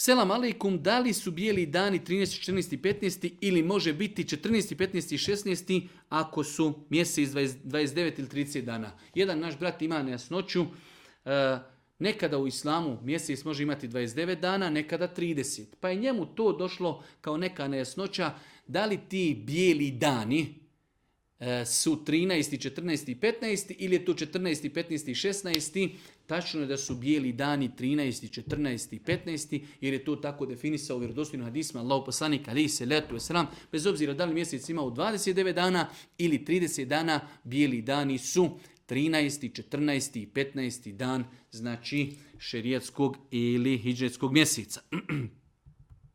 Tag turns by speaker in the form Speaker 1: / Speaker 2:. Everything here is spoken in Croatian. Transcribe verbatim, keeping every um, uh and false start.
Speaker 1: Selam aleikum, da li su bijeli dani trinaesti, četrnaesti, petnaesti ili može biti četrnaesti, petnaesti i šesnaesti ako su mjesec dvadeset devet ili trideset dana? Jedan naš brat ima nejasnoću. E, nekada u islamu mjesec može imati dvadeset devet dana, nekada trideset. Pa je njemu to došlo kao neka nejasnoća. Da li ti bijeli dani e, su trinaesti, četrnaesti i petnaesti ili je to četrnaesti, petnaesti i šesnaesti? Tačno je da su bijeli dani trinaesti, četrnaesti i petnaesti jer je to tako definisao u vjerodostojnim hadisima Allahov poslanik alejhi selatu vesselam. Bez obzira da li mjesec ima u dvadeset devet dana ili trideset dana, bijeli dani su trinaesti, četrnaesti i petnaesti dan, znači šerijatskog ili hidžretskog mjeseca.